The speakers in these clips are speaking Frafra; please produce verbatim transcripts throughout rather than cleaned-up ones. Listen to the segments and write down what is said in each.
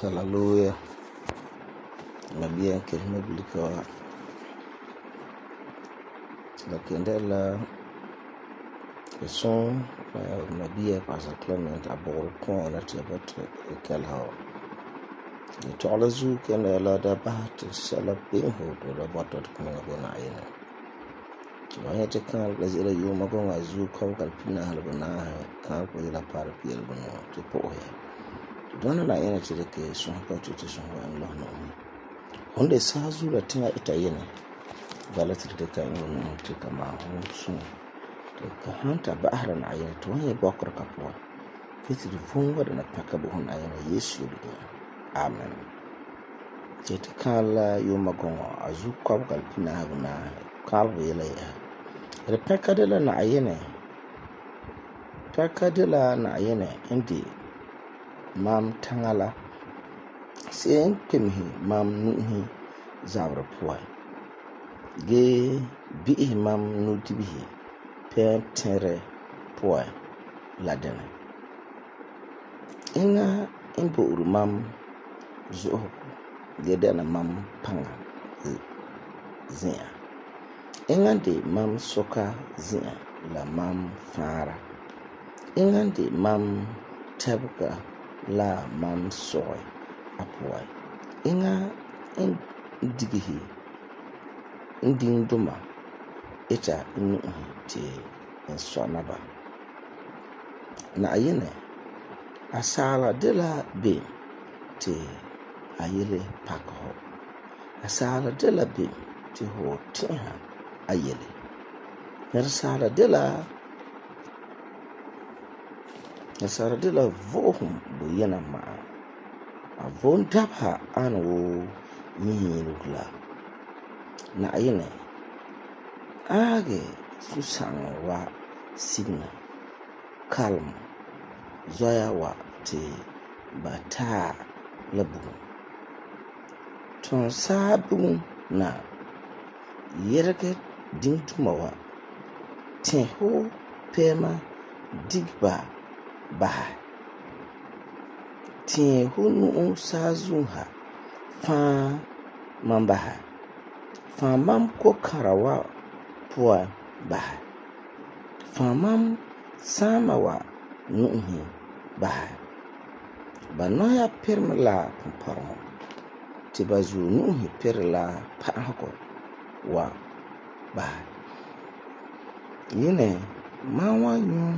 Hallelujah. Mabia kelma bilika la kende la son mabia Pastor Clement abor ko na te bot kel ha ni tola zu kende la da bat sala pin ho do da bot ko na go na ina wa ya te kan la zira yo ma go nga zu ko kal pina hal go na kan ko la par piel go no te po ya dona na ina te ke son ko te te son wa Allah no onde sa zu la tinga ita yene bala te te kan no te kama ho sun te ka hanta bahra na ina to ya bakar kapwa fiti de fon wa na paka bo na ina Yesu de amen te te kala yo ma go azu ko kal pina ha na kal bo yela ya re paka de la na ina paka de la na ina indi mam tangala sen kemhi mam nuhi zabra puwa ge bi mam nu dibihi pentere puwa ladana inga imbo uru mam zo ge dana mam panga zia inga de mam soka zia la mam fara inga de mam tabka la mam soy apoy inga indigihi inding duma ita inu ti insonaba na ayene asala dela be ti ayele pakho asala dela be ti ho tinha ayele asala dela asala dela vohum bo yana ma avon dabha an wo yirukla na ayene age susan wa signa kalm zoya wa te bata labu ton sabu na yerke dingtumawa tenho pema digba bah tin hunu sazunha fa mambaha fa mam ko karawa puwa bah fa mam samawa nuhi bah banoya permla paro ti bazu nuhi perla pahako wa bah yine mawa yun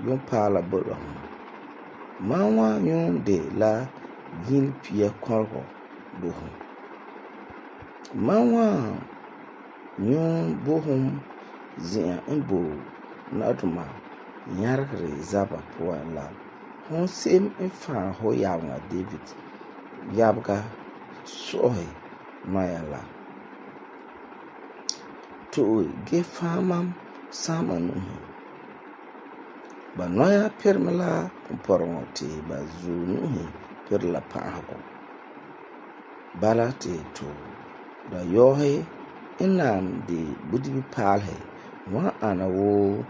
yun pala bolo mawa yun de la yin pia korgo buhum mawa yun buhum zia imbo naduma nyargre zaba puwa la hon sem infa ho yawa David yabga sohi mayala to ge famam sama nuhi banoya permela porongoti bazu nuhi perla pahako balate to da yohe inam de budibi palhe wa ana wo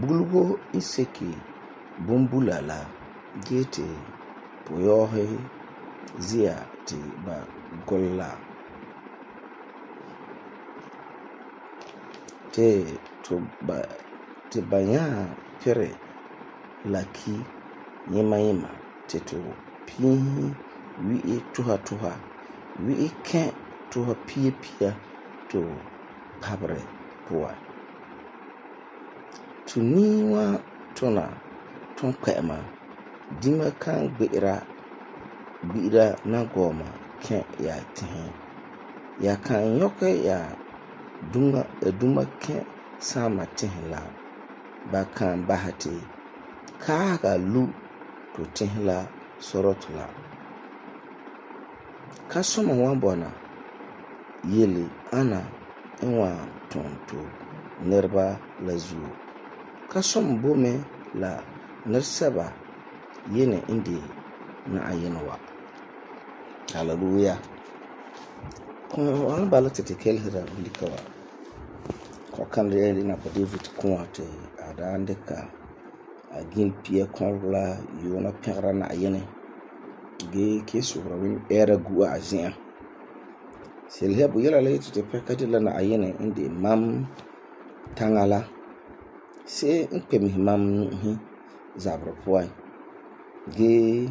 bulgo iseki bumbulala gete poyohe zia ti ba golla te to ba te banya pere laki yema yema te to pihi wi tuha tuha wi ke tuha pia pia to pabre puwa tuniwa tona ton kwema dima kan gbe'era gbi'ira nagɔɔma kɛ ya tihe. Ya kan yɔkɛ ya duma duma kɛ saama tihe la, ba kan basɛ ti kaaga lu to tihe la sorɔtɔ la. Kasuma wan bɔna yele ana n wan tum to nɛreba la zuo. Kasuma bo me la nɛresɛba yene n de Na'ayinɛ wa. Hallelujah. Kɔɔ wan bala ti ti kelesera bulika wa. Kɔkan de na pa David kɔɔ ti a daan dika a gin pia kɔrɔ la yuuna pɛgera Na'ayinɛ ge ke sobra win era gua a zi'an. Selha bu yela la ti pɛka de la Na'ayinɛ n de mam tanga la. Se n kpemi mam nuhi zabra puan. Ge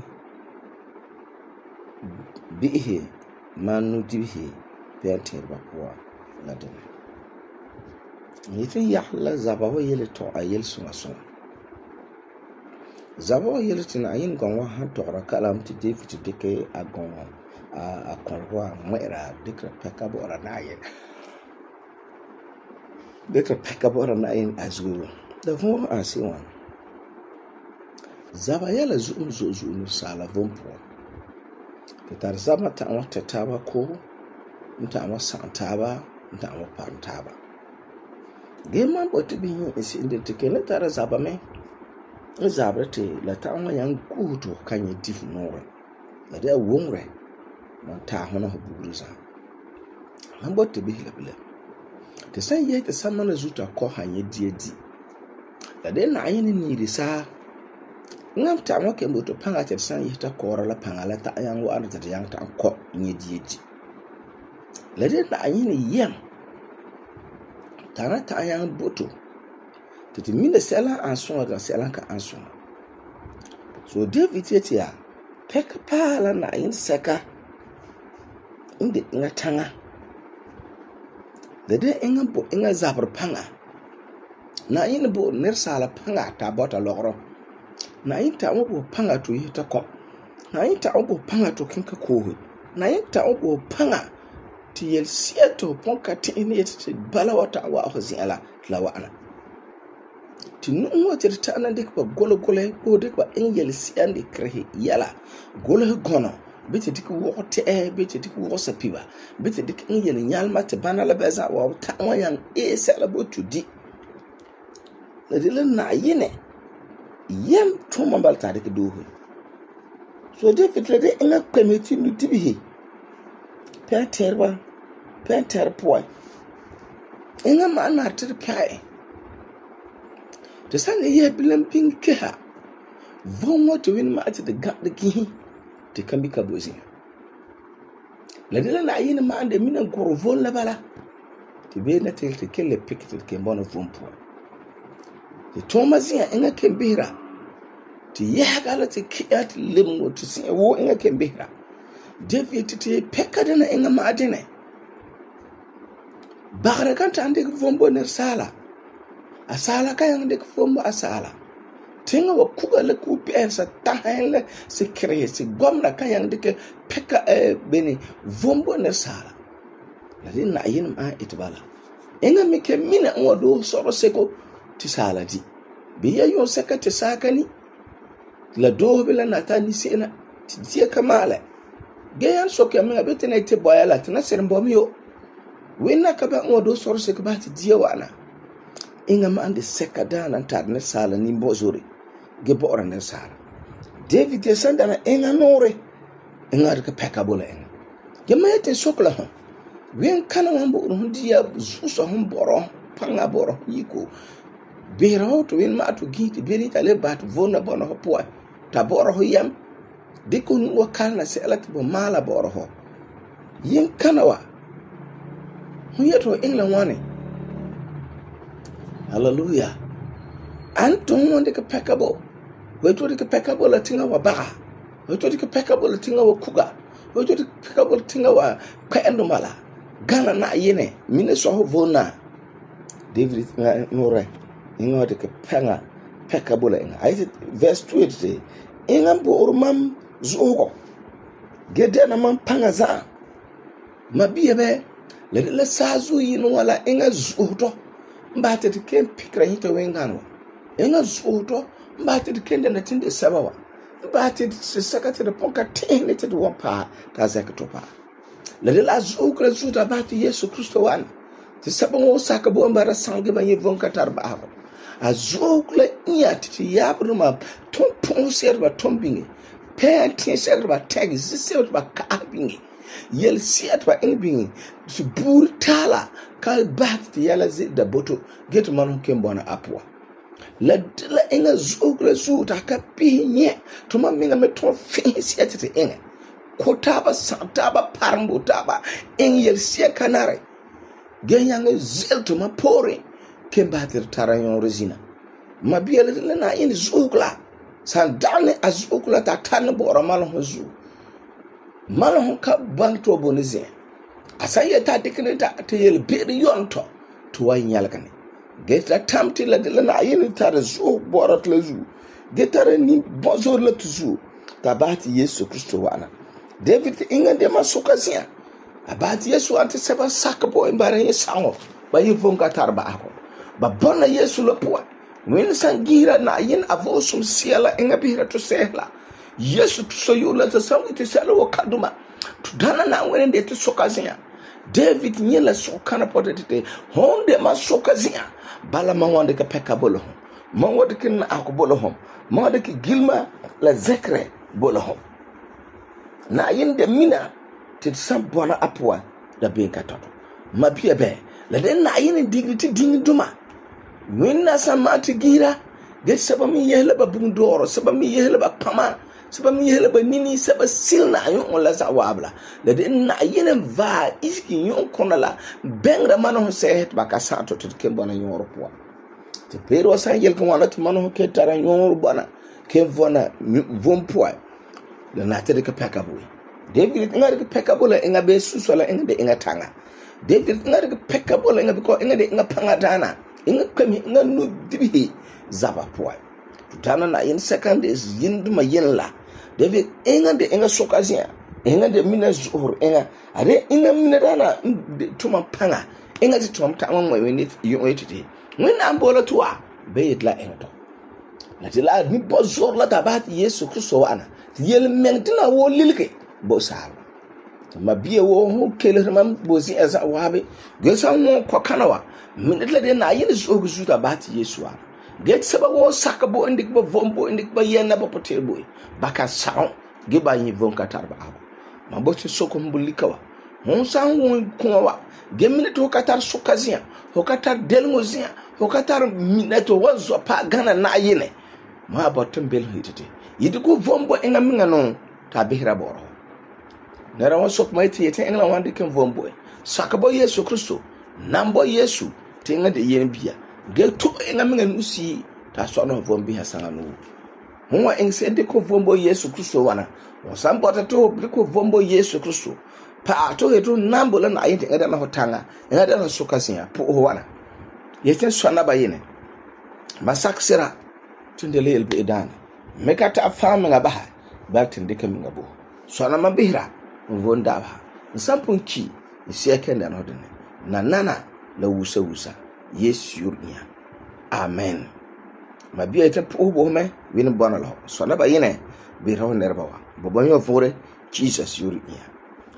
bihe man nu dibihe pɛntir ba puan la dɛna. Yitin yah la zaba wa yele to a yel sunga sunga. Zaba wa yele ti Na'ayinɛ gɔn wa han tɔgera kalam ti David dike a gɔn a kɔrɔ wa ŋmɛ'ɛra dikra pɛka bɔ'ɔra Na'ayinɛ. Dikra pɛka bɔ'ɔra Na'ayinɛ a zuo. Da vɔn an se wan. Zaba yɛla zu'um zo'e zo'e nu saala vom puan. Ti tar zaba ta'an wa tɛ taaba ko, n ta'an wa sa'am taaba, n ta'an wa parom taaba. Ge man bɔti bihi n se'em de ti kene tara zaba me n zabra ti la ta'an wa yang guhu to kan nyɛ difu nuure. La de a wongre man taa hona ho bugru za. Man bɔti bihi la bila. Ti san yɛ ti samana zuta kɔ han nyɛ die di. La de Na'ayinɛ niiri saa. Ngam ta'an wa kembo to panga ti san yɛ ta kɔɔra la panga la ta'an yang wa anda ti yang ta'an kɔ nyɛ die di. La de Na'ayinɛ yɛm tana ta'an yang boto ti ti mina sɛla an suŋa ga sɛla ka an suŋa. So David yeti ya pɛka paa la Na'ayinɛ sɛka n de inga tanga. La de inga bo inga zabra panga. Na'ayinɛ bo nɛresaala panga ta bɔta lɔgɔrɔ. Na'ayinɛ ta'an wa bo panga to yi ta kɔ. Na'ayinɛ ta'an wa bo panga to kinka koohe. Na'ayinɛ ta'an wa bo panga ti yel sia to pon ka ti ne yeti ti bala wa ta'an wa ho zi'ala la wa'ana. Ti nu wa ti ta'an na dik ba golo golo ko dik ba in yel sia ndi krehe yala golo gono biti dik wo te e biti dik wo sapiba biti dik in yel nyalma te bana la beza wa ta'an wa yang e sala bo tudi. La de la Na'ayinɛ yam tuma bal ta dik doho. So David la de inga kpemeti nu dibihi. Pɛntirba pɛntir puan. Inga ma na tir pɛe. Ti san yɛ bilam pin keha. Von wa to win ma ati de gap de kihi. Ti kan bi ka bozi. La de la Na'ayinɛ ma ande mina goro von la bala. Ti be na til ti kelle pik ti ke bona von puan. Ti Thomasia inga kembira. Ti yahagala ti kiyat limu ti sin wo inga kembira. David ti pekka dena inga ma adene. Bagara kan ta ande vombo ner sala. Asala ka yang de vombo asala. Tinga wa kuga le ku pensa tahen le se kreye se gomna kan yang de pekka e beni vombo ner sala. La de Na'ayinɛ ma itbala. Inga mi ke mina wa do soro seko ti sala di. Biya yon seka ti sakani. La do bila na ta ni sena ti dia kamala. Gayan sokya mga bete na ite boya la tina serembomi yo. Wena kaba ngo do soro se kaba ti dia wana. Inga ma ande seka dana tar ne sala ni mbozuri. Ge bora ne sala. David ya sanda na inga nore. Inga rika peka bola inga. Ge ma yete sokla hon. Wen kana wambo hon dia zuso hon boro. Panga boro yiko. Bera ho to wen ma to giti. Beri tale bat vona bono ho poa. Ta boro ho yam. Diko nu wakal na se alati bo mala boro ho. Yin kanawa. Hu yeto England wane. Hallelujah. Anton wonde ka pekabo. Weto de ka pekabo la tinga wa baka. Weto de ka pekabo la tinga wa kuga. Weto de ka pekabo la tinga wa kwaendo mala. Gana na yene. Mine so ho vona. David nga nore. Inga de ka penga pekabo la inga. I said verse two it say. enga bo'or mam zuugo ge dena man panga za ma biya be la la sazu yin wala enga zuuto mbate de ken pikra hita wengan wa enga zuuto mbate de ken na tinde sabawa mbate se sakate de ponka tene te wa pa ta zakato pa la la zuukra zuuta bate Yesu Kristo wan te sabon saka bo mbara sange ba yevon katar ba ha azukla iya ti yabruma ton pon serba tombingi pen tin serba tag zisel ba kabingi yel siat ba inbingi su burtala ka bat ti yala zi da boto get man ken bona apwa la la inga zukla zuta ka pinye to ma minga me ton fin siat ti inga ko taba santaba parmbo taba in yel sia kanare genyanga zel to ma pore kembater tarayon resina mabiele le na yin zukla san dane azukla ta tan bora malon zu malon ka banto bonize asaye ta dikne ta te yel bir yonto to wa nyalgane geta tamti la de na yin tar zu bora tle zu getare ni bozor la tuzu tabati Yesu Kristo wana David inga de masukazia abati Yesu ante seba sakabo embare yesango ba yivonga tarba ako ba bona Yesu lopwa wen sangira na yin avosum siela enga bihira to sehla Yesu so yula ta samu te sala wa kaduma to dana na wen de te sokazia David nyela sokana potete honde ma sokazia bala ma wonde ka peka bolo ma wonde kin akobolo hom ma wonde ki gilma la zekre bolo hom na yin de mina te sam bona apwa da ben katoto mabia be la de na yin dignity ding duma winna samati gira ge saba mi yehla ba bundoro saba mi yehla ba pama saba mi yehla ba nini saba silna yon la za wabla la de na yin va iski yon konala bengra mano sehet ba ka santo to ke bona yon ropwa te pero sa yel ko wana te mano ke tara yon bona ke vona vompwa la na te ke pekabo David ngare ke pekabo la enga be susola enga de enga tanga David ngare ke pekabo la enga ko enga de enga panga dana inga kami inga no dibi zaba poa tutana na in second is yinduma yinla David inga de inga sokazia inga de mina zuhur inga are inga mina dana tuma panga inga ti tuma tama mo weni yoetiti when ambola tuwa be itla inga to la tila ni bozor la tabat Yesu Kristo wana yel mengtina wo lilke bo sal ma biye wo ho kele mam bozi eza wabe gesa mo kokanawa min la de na yin zo guzuta bat Yesu a get saba wo sakabo indik ba vombo indik ba yena ba potebo baka saon ge ba yin von katarba aba ma bo se soko mbulikawa hon san won kunwa ge min to katar sukazia ho katar delngozia ho katar minato wazo pa gana na yine ma bo tembel hitete yidiku vombo enga minga no ta behira boro nera wa sok mai ti yete engla wande ken vombo sakabo Yesu Kristo nambo Yesu tinga de yen bia ge to enga minga nusi ta so no vombi hasanga no huwa engsende ko vombo Yesu Kristo wana o sambota to ko vombo Yesu Kristo pa to heto nambo la na yete ngada na hotanga ngada na sokasia po wana yete so na ba yene masaksira tundele elbe edana mekata afama ngabaha batin de kam ngabo so na mabihira vonda ba nsampun ki isi ekenda no dene na nana la wusa wusa Yesu yurnya amen mabia ita po bo me win bona lo so na ba yene bi raw nerba wa bobo yo fore Jesus yurnya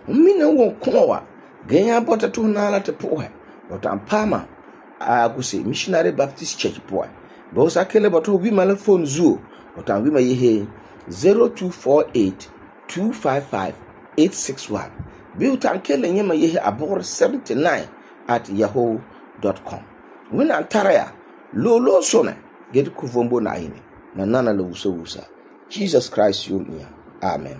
umina wo kowa ganya bota to na la te po he wata pama a kusi missionary baptist church po bo sa kele boto bi mala phone zuo wata wi ma yehe zero two four eight two five five eight six one bi utan kele nyema yehe abor seventy-nine at yahoo dot com wina taraya lo lo sone get ku vombo na ine na nana lo wusa wusa Jesus Christ yurnya amen.